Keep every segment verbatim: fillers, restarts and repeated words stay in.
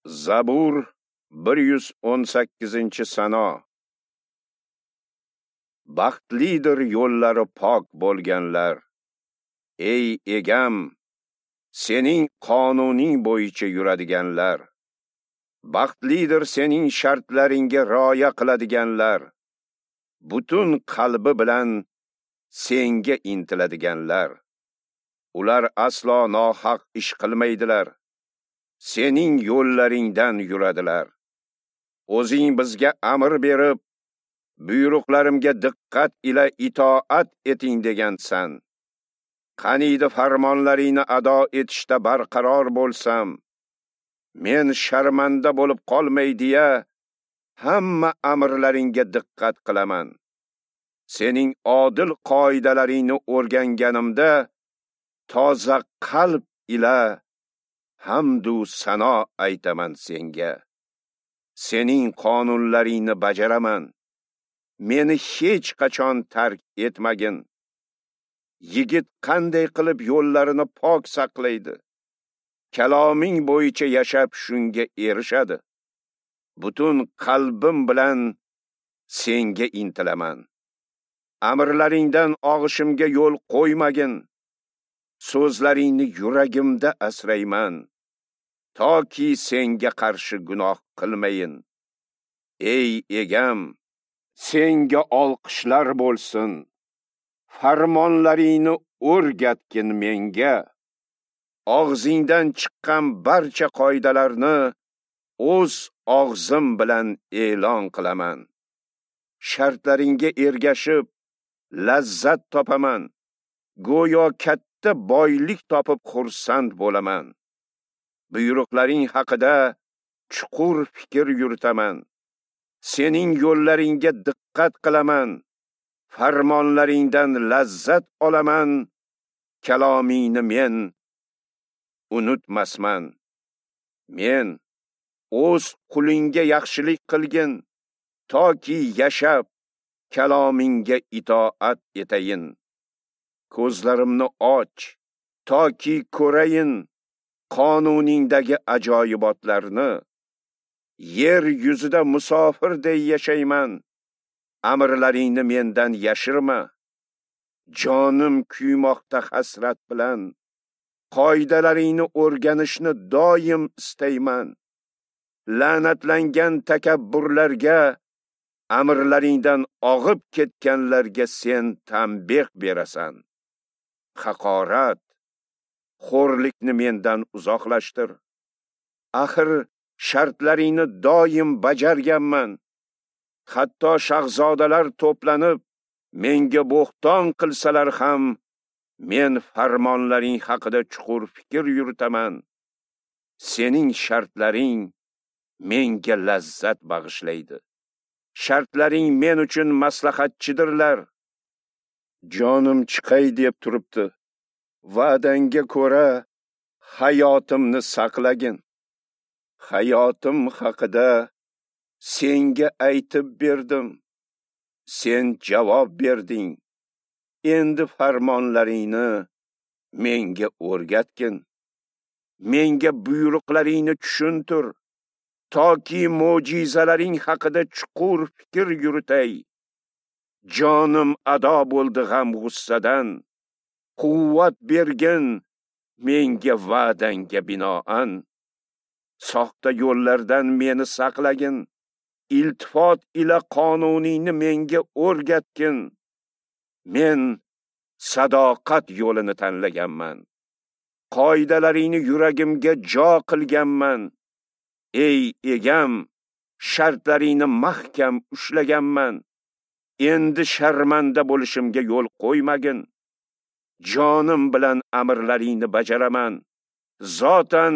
Zabur bir yuz o'n sakkizinchi sano. Baxtlidir yo'llari pok bo'lganlar. Ey egam, sening qonuning bo'yicha yuradiganlar. Baxtlidir sening shartlaringga rioya qiladiganlar. Butun qalbi bilan senga intiladiganlar. Ular aslo nohaq ish qilmaydilar. Sening yo'llaringdan yuradilar. O'zing bizga amr berib, buyruqlarimga diqqat ila itoat eting degansan. Qaniydi farmonlaringni ado etishda barqaror bo'lsam, men sharmanda bo'lib qolmay deya hamma amrlaringga diqqat qilaman. Sening odil qoidalaringni o'rganganimda toza qalb ila hamdu sano aytaman senga. Sening qonunlaringni bajaraman. Meni hech qachon tark etmagin. Yigit qanday qilib yo'llarini pok saqlaydi? Kaloming bo'yicha yashab shunga erishadi. Butun qalbim bilan senga intilaman. Amrlaringdan og'ishimga yo'l qo'ymagin. So'zlaringni yuragimda asrayman, toki senga qarshi gunoh qilmayin. Ey egam, senga olqishlar bo'lsin. Farmonlaringni o'rgatgin menga. Og'zingdan chiqqan barcha qoidalarni o'z og'zim bilan e'lon qilaman. Shartlaringga ergashib lazzat topaman. Go'yo katta boylik topib xursand bo'laman. Buyruqlaring haqida chuqur fikr yuritaman. Sening yo'llaringga diqqat qilaman. Farmonlaringdan lazzat olaman. Kalomingni men unutmasman. Men o'z qulingga yaxshilik qilgin, toki yashab kalomingga itoat etayin. Ko'zlarimni och, toki ko'rayin qonuningdagi ajoyibotlarni. Yer yuzida musofirday yashayman. Amrlaringni mendan yashirma. Jonim kuymoqda hasrat bilan. Qoidalaringni o'rganishni doim istayman. La'natlangan takabburlarga, amrlaringdan og'ib ketganlarga sen tanbeh berasan. Haqorat, xo'rlikni mendan uzoqlashtir. Axir shartlaringni doim bajarganman. Hatto shahzodalar to'planib menga bo'xton qilsalar ham, men farmonlaring haqida chuqur fikr yuritaman. Sening shartlaring menga lazzat bag'ishlaydi. Shartlaring men uchun maslahatchidirlar. Jonim chiqay deb turibdi. Va'dangga ko'ra hayotimni saqlagin. Hayotim haqida senga aytib berdim. Sen javob berding. Endi farmonlaringni menga o'rgatgin. Menga buyruqlaringni tushuntir, toki mo'jizalaring haqida chuqur fikr yuritay. Jonim ado bo'ldi g'am-g'ussadan. Quvvat bergin menga va'dangga binoan. Soxta yo'llardan meni saqlagin. Iltifot ila qonuningni menga o'rgatgin. Men sadoqat yo'lini tanlaganman. Qoidalaringni yuragimga jo qilganman. Ey egam, shartlaringni mahkam ushlaganman. Endi sharmanda bo'lishimga yo'l qo'ymagin. Jonim bilan amrlaringni bajaraman. Zotan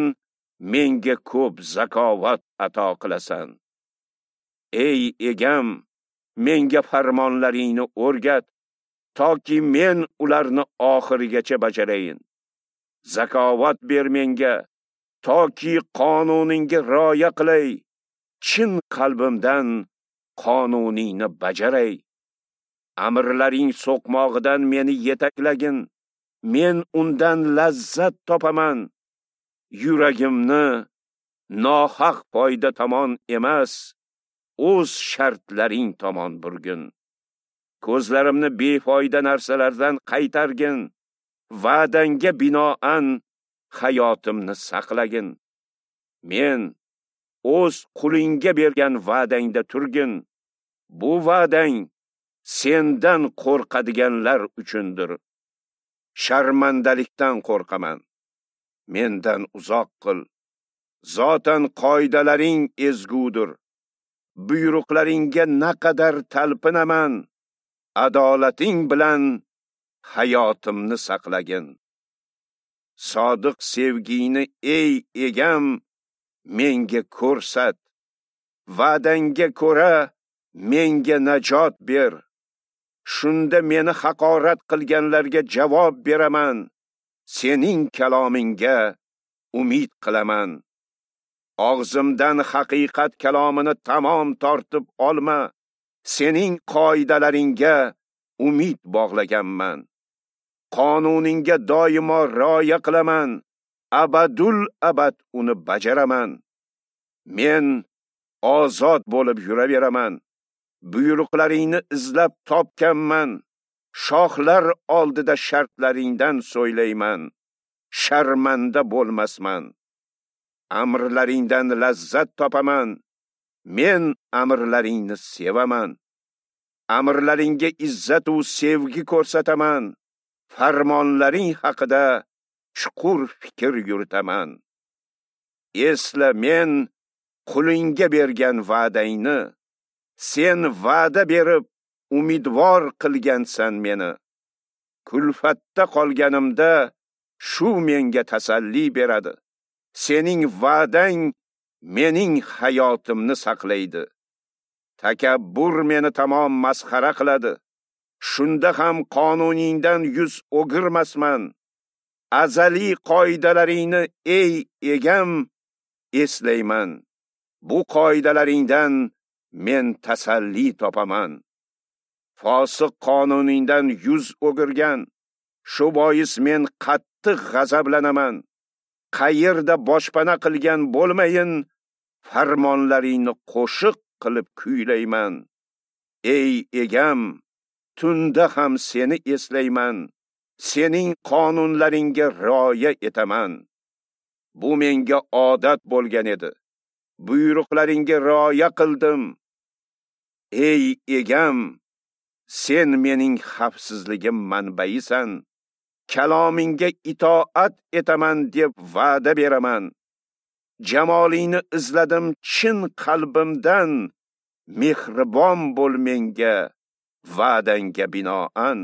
menga ko'p zakovat ato qilasan. Ey egam, menga farmonlaringni o'rgat, toki men ularni oxirigacha bajarayin. Zakovat ber menga, toki qonuningga rioya qilay. Chin qalbimdan qonuningni bajaray. Amrlaring so'qmog'idan meni yetaklagin. Men undan lazzat topaman. Yuragimni Nohaq foyda tomon emas, o'z shartlaring tomon burgin. Ko'zlarimni befoyda narsalardan qaytargin, va'dangga binoan hayotimni saqlagin. Men o'z qulingga bergan va'dangda turgin. Bu va'dang sendan qo'rqadiganlar uchundir. Sharmandalikdan qo'rqaman. Mendan uzoq qil. Zotan qoidalaring ezgudir. Buyruqlaringga naqadar talpinaman. Adolating bilan hayotimni saqlagin. Sodiq sevgingni ey egam menga ko'rsat. Va'dangga ko'ra menga najot ber. Shunda meni haqorat qilganlarga javob beraman. Sening kalomingga umid qilaman. Og'zimdan haqiqat kalomini tamom tortib olma. Sening qoidalaringga umid bog'laganman. Qonuningga doimo rioya qilaman. Abadul abad uni bajaraman. Men ozod bo'lib yuraveraman. Buyruqlaringni izlab topganman. Shohlar oldida shartlaringdan so'ylayman. Sharmanda bo'lmasman. Amrlaringdan lazzat topaman. Men amrlaringni sevaman. Amrlaringga izzat u sevgi ko'rsataman. Farmonlaring haqida chuqur fikr yuritaman. Esla men qulingga bergan va'dangni. Sen va'da berib umidvor qilgansan meni. Kulfatda qolganimda shu menga tasalli beradi. Sening va'dang mening hayotimni saqlaydi. Takabbur meni tamom masxara qiladi. Shunda ham qonuningdan yuz o'girmasman. Azaliy qoidalaringni ey egam eslayman. Bu qoidalaringdan men tasalli topaman. Fosiq qonuningdan yuz o'girgan. Shu bois men qattiq g'azablanaman. Qayerda boshpana qilgan bo'lmayin, farmonlaringni qo'shiq qilib kuylayman. Ey egam, tunda ham seni eslayman. Sening qonunlaringga rioya etaman. Bu menga odat bo'lgan edi. Buyruqlaringga rioya qildim. Ey egam, sen mening xavfsizligim manbaisan. Kalomingga itoat etaman deb va'da beraman. Jamolingni izladim chin qalbimdan. Mehribon bo'l menga, va'dangga binoan.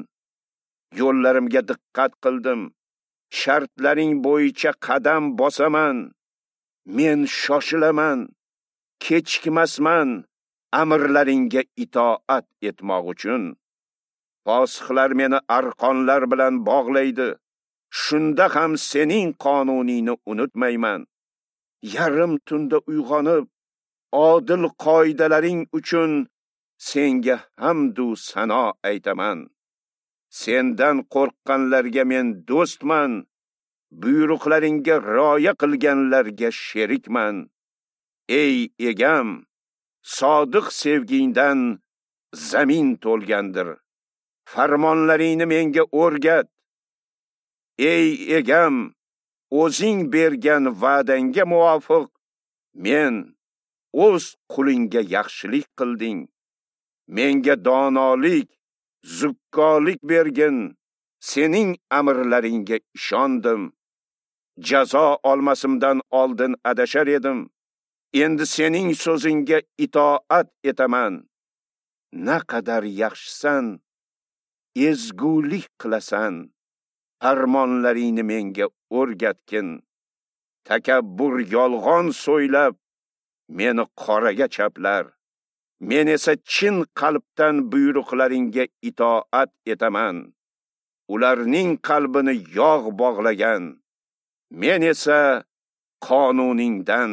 Yo'llarimga diqqat qildim. Shartlaring bo'yicha qadam bosaman. Men shoshilaman, kechikmasman amrlaringga itoat etmoq uchun. Fosiqlar meni arqonlar bilan bog'laydi. Shunda ham sening qonuningni unutmayman. Yarim tunda uyg'onib, odil qoidalaring uchun senga hamd u sano aytaman. Sendan qo'rqqanlarga men do'stman, buyruqlaringga rioya qilganlarga sherikman. Ey egam, sodiq sevgingdan zamin to'lgandir. Farmonlaringni menga o'rgat. Ey egam, o'zing bergan va'dangga muvofiq men o'z qulingga yaxshilik qilding. Menga donolik, zukkolik bergin. Sening amrlaringga ishondim. Jazo olmasimdan oldin adashar edim. Endi sening so'zingga itoat etaman. Naqadar yaxshisan, ezgulik qilasan. Farmonlaringni menga o'rgatgin. Takabbur yolg'on so'ylab meni qoraga chaplar. Men esa chin qalbdan buyruqlaringga itoat etaman. Ularning qalbini yog' bog'lagan. Men esa qonuningdan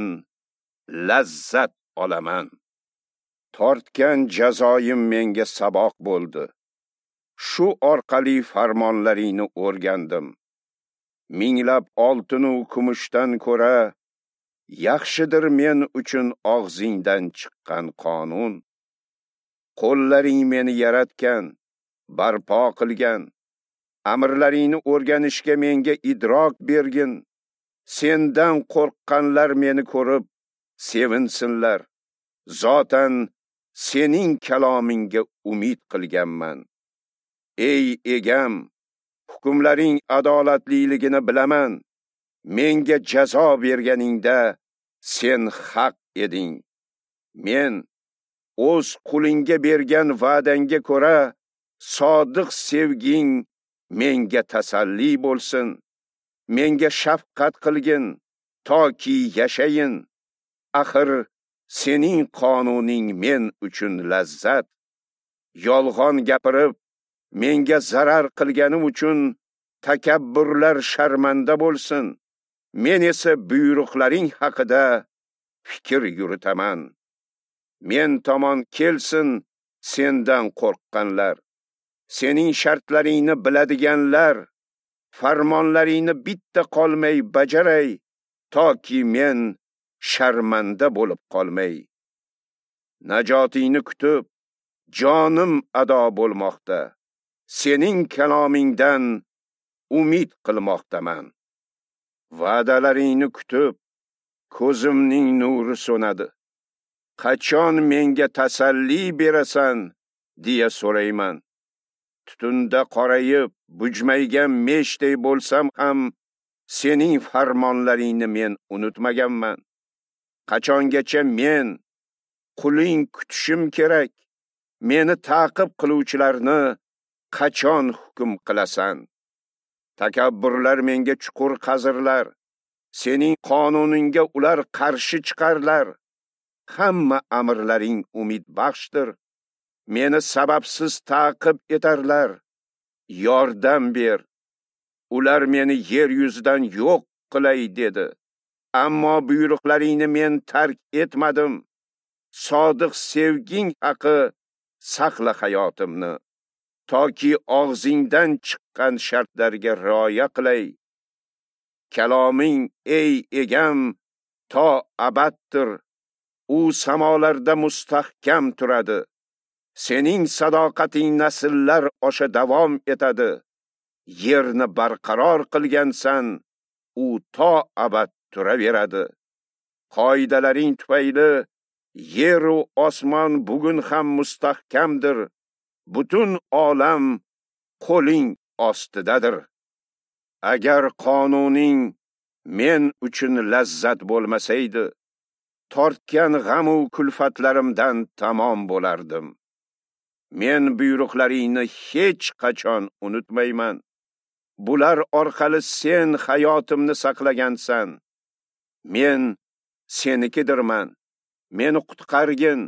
lazzat olaman. Tortgan jazoyim menga saboq bo'ldi. Shu orqali farmonlaringni o'rgandim. Minglab oltin u kumushdan ko'ra Yaxshidir men uchun og'zingdan chiqqan qonun. Qo'llaring meni yaratgan, barpo qilgan. Amrlaringni o'rganishga menga idrok bergin. Sendan qo'rqqanlar meni ko'rib sevinsinlar. Zotan sening kalomingga umid qilganman. Ey egam, hukmlaring adolatliligini bilaman. Menga jazo berganingda sen haq eding. Men o'z qulingga bergan va'dangga ko'ra sodiq sevging menga tasalli bo'lsin. Menga shafqat qilgin, toki yashayin. Axir sening qonuning men uchun lazzat. Yolg'on gapirib menga zarar qilganim uchun takabburlar sharmanda bo'lsin. Men esa buyruqlaring haqida fikr yuritaman. Men tomon kelsin sendan qo'rqqanlar, sening shartlaringni biladiganlar, farmonlaringni bitta qolmay bajaray, toki men sharmanda bo'lib qolmay. Najotingni kutib, jonim ado bo'lmoqda. Sening kalomingdan umid qilmoqdaman. Va'dalaringni kutib, ko'zimning nuri so'nadi. Qachon menga tasalli berasan deya so'rayman. Tutunda qorayib, bujmaygan meshday bo'lsam ham sening farmonlaringni men unutmaganman. Qachongacha men quling kutishim kerak? Meni ta'qib qiluvchilarni qachon hukm qilasan? Takabburlar menga chuqur qazirlar, sening qonuningga ular qarshi chiqarlar. Hamma amrlaring umidbaxshdir. Meni sababsiz ta'qib etarlar. Yordam ber. Ular meni yer yuzidan yo'q qilay dedi. Ammo buyruqlaringni men tark etmadim. Sodiq sevging haqi saqla hayotimni, toki og'zingdan chiqqan shartlarga rioya qilay. Kaloming, ey egam, to abaddir. U samolarda mustahkam turadi. Sening sadoqating nasllar osha davom etadi. Yerni barqaror qilgansan, u to abad turaveradi. Qoidalaring tufayli yer u osmon bugun ham mustahkamdir. Butun olam qo'ling ostidadir. Agar qonuning men uchun lazzat bo'lmasaydi, tortgan g'am u kulfatlarimdan tamom bo'lardim. Men buyruqlaringni hech qachon unutmayman. Bular orqali sen hayotimni saqlagansan. Men senikidirman. Meni qutqargin.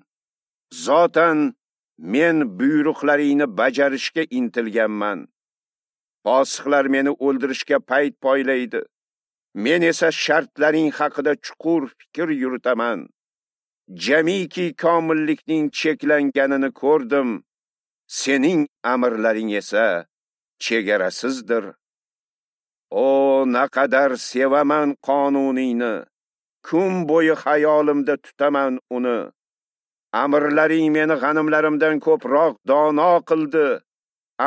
Zotan men buyruqlaringni bajarishga intilganman. Fosiqlar meni o'ldirishga payt poylaydi. Men esa shartlaring haqida chuqur fikr yuritaman. Jamiki komillikning cheklanganini ko'rdim. Sening amrlaring esa chegarasizdir. O, naqadar sevaman qonuningni. Kun bo'yi xayolimda tutaman uni. Amrlaring meni g'animlarimdan ko'proq dono qildi.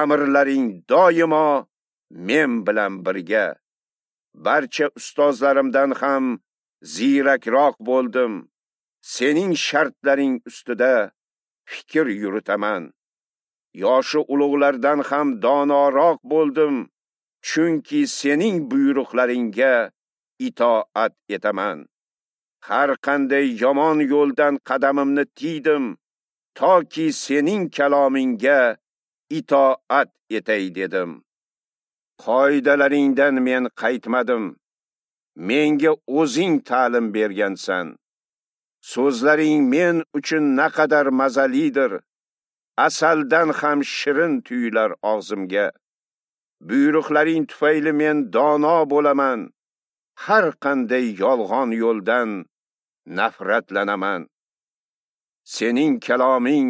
Amrlaring doimo men bilan birga. Barcha ustozlarimdan ham ziyrakroq bo'ldim. Sening shartlaring ustida fikr yuritaman. Yoshi ulug'lardan ham donoroq bo'ldim, chunki sening buyruqlaringga itoat etaman. Har qanday yomon yo'ldan qadamimni tiydim, toki sening kalomingga itoat etay dedim. Qoidalaringdan men qaytmadim. Menga o'zing ta'lim bergansan. So'zlaring men uchun naqadar mazalidir. Asaldan ham shirin tuyular og'zimga. Buyruqlaring tufayli men dono bo'laman. Har qanday yolg'on yo'ldan nafratlanaman. Sening kaloming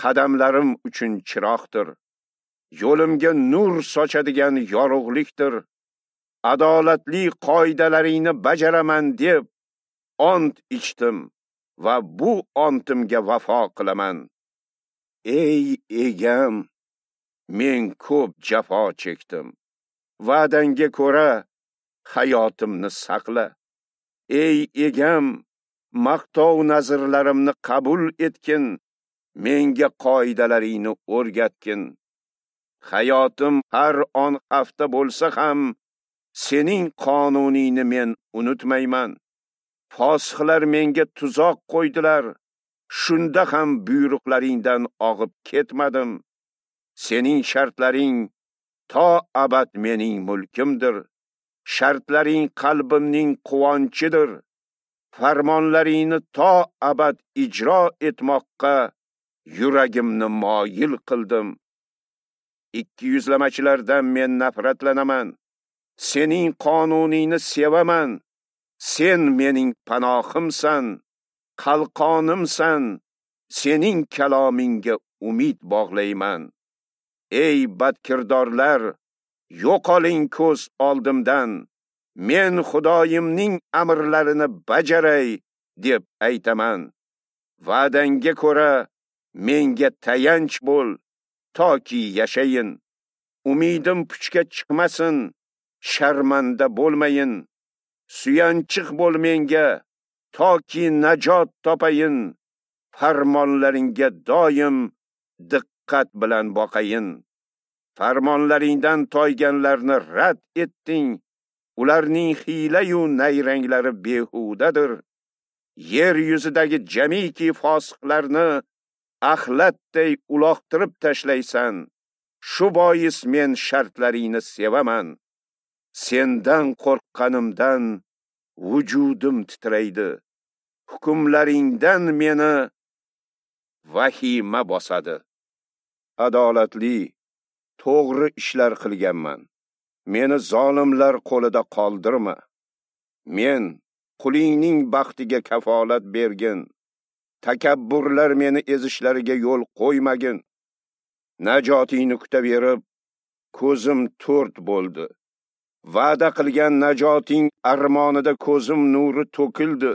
qadamlarim uchun chiroqdir. Yo'limga nur sochadigan yorug'likdir. Adolatli qoidalaringni bajaraman deb Ont ichdim va bu ontimga vafo qilaman. Ey egam, men ko'p jafo chekdim. Va'dangga ko'ra hayotimni saqla. Ey egam, maqtov nazrlarimni qabul etgin, menga qoidalaringni o'rgatgin. Hayotim har on hafta bo'lsa ham, sening qonuningni men unutmayman. Fosiqlar menga tuzoq qo'ydilar, shunda ham buyruqlaringdan og'ib ketmadim. Sening shartlaring to abad mening mulkimdir. Shartlaring qalbimning quvonchidir. Farmonlaringni to abad ijro etmoqqa yuragimni moyil qildim. Ikki yuzlamachilardan men nafratlanaman. Sening qonuningni sevaman. Sen mening panohimsan, qalqonimsan. Sening kalomingga umid bog'layman. Ey badkirdorlar, yo'qoling ko'z oldimdan. Men Xudoyimning amrlarini bajaray deb aytaman. Va'dangga ko'ra menga tayanch bo'l, toki yashayin. Umidim puchga chiqmasin, sharmanda bo'lmayin. Suyanchiq bo'l menga, toki najot topayin. Farmonlaringga doim diqqat bilan boqayin. Farmonlaringdan toyganlarni rad etding. Ularning hiyla-yu nayranglari behudadir. Yer yuzidagi jamiki fosiqlarni axlatday uloqtirib tashlaysan. Shu bois men shartlaringni sevaman. Sendan qo'rqqanimdan vujudim titraydi. Hukmlaringdan meni vahima bosadi. Adolatli, to'g'ri ishlar qilganman. Meni zolimlar qo'lida qoldirma. Men qulingning baxtiga kafolat bergin. Takabburlar meni ezishlariga yo'l qo'ymagin. Najotingni kutaverib, ko'zim to'rt bo'ldi. Va'da qilgan najoting armonida ko'zim nuri to'kildi.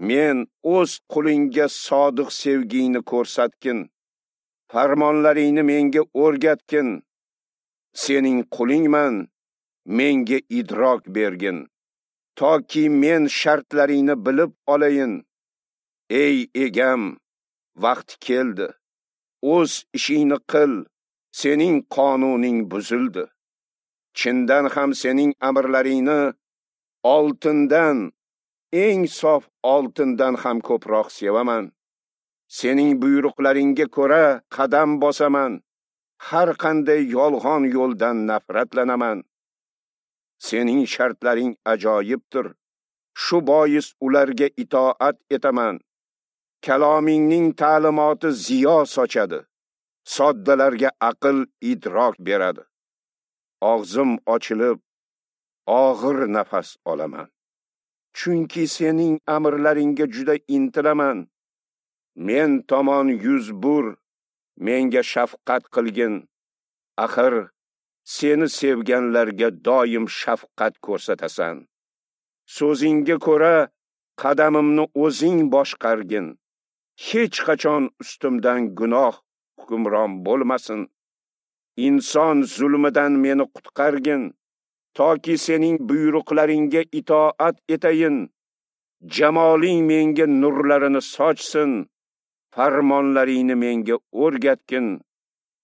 Men o'z qulingga sodiq sevgingni ko'rsatgin. Farmonlaringni menga o'rgatgin. Sening qulingman, menga idrok bergin, toki men shartlaringni bilib olayin. Ey egam, vaqt keldi. O'z ishingni qil, sening qonuning buzildi. Chindan ham sening amrlaringni oltindan, eng sof oltindan ham ko'proq sevaman. Sening buyruqlaringga ko'ra qadam bosaman. Har qanday yolg'on yo'ldan nafratlanaman. Sening shartlaring ajoyibdir. Shu bois ularga itoat etaman. Kalomingning ta'limoti ziyo sochadi. Soddalarga aql idrok beradi. Og'zim ochilib, og'ir nafas olaman. Chunki sening amrlaringga juda intilaman. Men tomon yuz bur, menga shafqat qilgin. Axir seni sevganlarga doim shafqat ko'rsatasan. So'zingga ko'ra qadamimni o'zing boshqargin. Hech qachon ustimdan gunoh hukmron bo'lmasin. Inson zulmidan meni qutqargin, toki sening buyruqlaringga itoat etayin. Jamoling menga nurlarini sochsin, farmonlaringni menga o'rgatgin.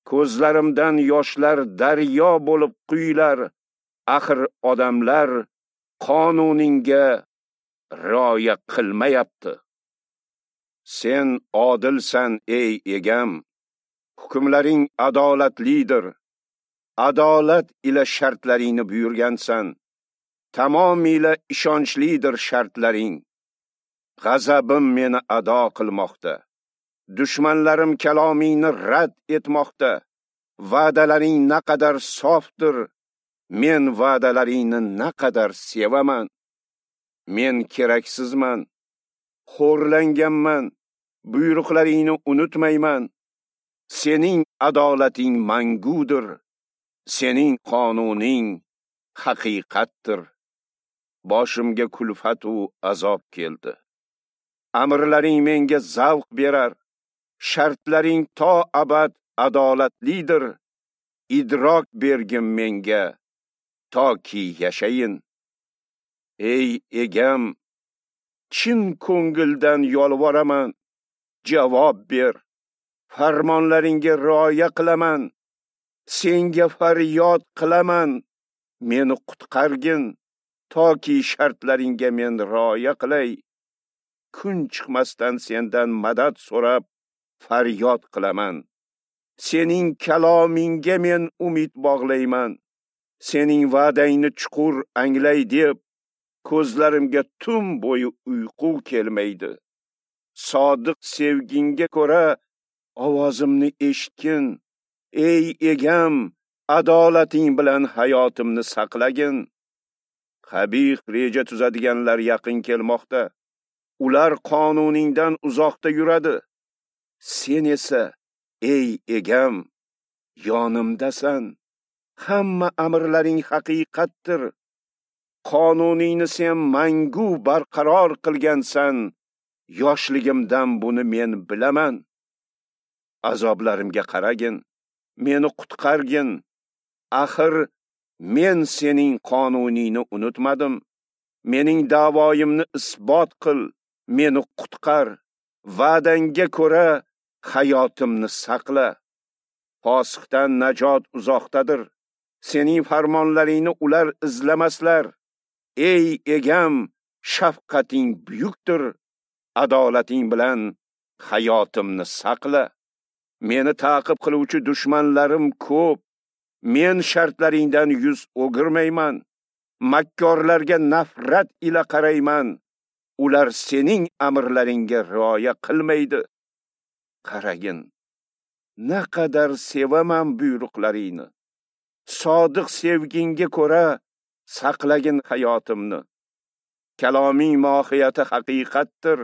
Ko'zlarimdan yoshlar daryo bo'lib quyilar, axir odamlar qonuningga rioya qilmayapti. Sen odilsan, ey egam, hukmlaring adolatlidir. Adolat ila shartlaringni buyurgansan. Tamomila ishonchlidir shartlaring. G'azabim meni ado qilmoqda. Dushmanlarim kalomingni rad etmoqda. Va'dalaring naqadar sofdir. Men va'dalaringni naqadar sevaman. Men keraksizman, xo'rlanganman, buyruqlaringni unutmayman. Sening adolating mangudir. Sening qonuning haqiqatdir. Boshimga kulfat u azob keldi. Amrlaring menga zavq berar. Shartlaring to abad adolatlidir. Idrok bergin menga, toki yashayin. Ey egam, chin ko'ngildan yolvoraman, javob ber. Farmonlaringga rioya qilaman. Senga faryod qilaman, meni qutqargin, toki shartlaringga men rioya qilay. Kun chiqmasdan sendan madad so'rab faryod qilaman. Sening kalomingga men umid bog'layman. Sening va'dangni chuqur anglay deb ko'zlarimga tun bo'yi uyqu kelmaydi. Sodiq sevgingga ko'ra ovozimni eshitgin. Ey egam, adolating bilan hayotimni saqlagin. Qabih reja tuzadiganlar yaqin kelmoqda. Ular qonuningdan uzoqda yuradi. Sen esa, ey egam, yonimdasan. Hamma amrlaring haqiqatdir. Qonuningni sen mangu barqaror qilgansan. Yoshligimdan buni men bilaman. Azoblarimga qaragin, meni qutqargin. Axir men sening qonuningni unutmadim. Mening da'voyimni isbot qil, meni qutqar. Va'dangga ko'ra hayotimni saqla. Fosiqdan najot uzoqdadir. Sening farmonlaringni ular izlamaslar. Ey egam, shafqating buyukdir. Adolating bilan hayotimni saqla. Meni ta'qib qiluvchi dushmanlarim ko'p. Men shartlaringdan yuz o'girmayman. Makkorlarga nafrat ila qarayman. Ular sening amrlaringga rioya qilmaydi. Qaragin, naqadar sevaman buyruqlaringni. Sodiq sevgingga ko'ra saqlagin hayotimni. Kaloming mohiyati haqiqatdir.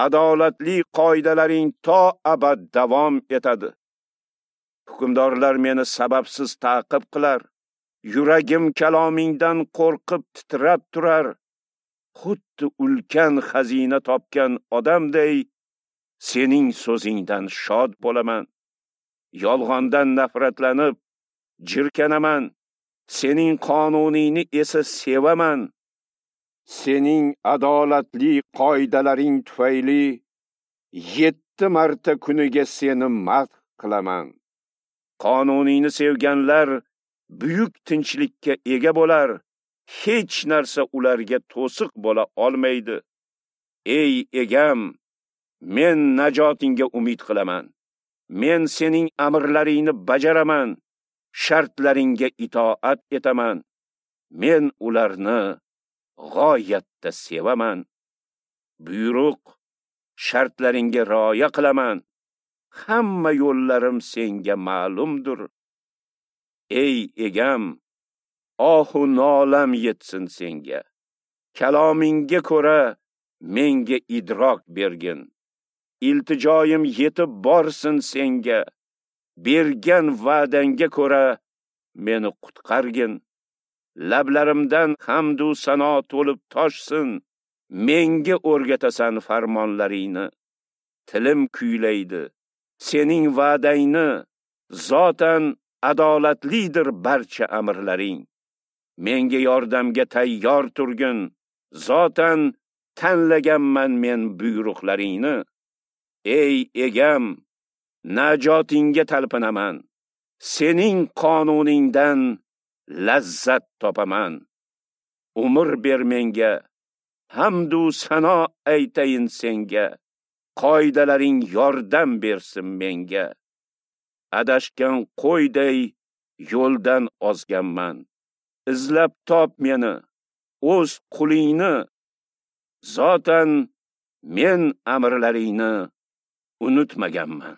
Adolatli qoidalaring to abad davom etadi. Hukmdorlar meni sababsiz ta'qib qilar. Yuragim kalomingdan qo'rqib titrab turar. Xuddi ulkan xazina topgan odamday sening so'zingdan shod bo'laman. Yolg'ondan nafratlanib jirkanaman. Sening qonuningni esa sevaman. Sening adolatli qoidalaring tufayli yetti marta kuniga seni madh qilaman. Qonuningni sevganlar buyuk tinchlikka ega bo'lar. Hech narsa ularga to'siq bo'la olmaydi. Ey egam, men najotingga umid qilaman. Men sening amrlaringni bajaraman, shartlaringga itoat etaman. Men ularni g'oyatda sevaman. Buyruq shartlaringga rioya qilaman. Hamma yo'llarim senga ma'lumdir. Ey egam, ohu nolam yetsin senga. Kalomingga ko'ra menga idrok bergin. Iltijoyim yetib borsin senga. Bergan va'dangga ko'ra meni qutqargin. Lablarimdan hamd u sano to'lib toshsin. Menga o'rgatasan farmonlaringni. Tilim kuylaydi sening va'dangni. Zotan adolatlidir barcha amrlaring. Menga yordamga tayyor turgin. Zotan tanlaganman men buyruqlaringni. Ey egam, najotingga talpinaman. Sening qonuningdan lazzat topaman. Umr ber menga, hamd u sano aytayin senga. Qoidalaring yordam bersin menga. Adashgan qo'yday yo'ldan ozganman. Izlab top meni, o'z qulingni. Zotan men amrlaringni unutmaganman.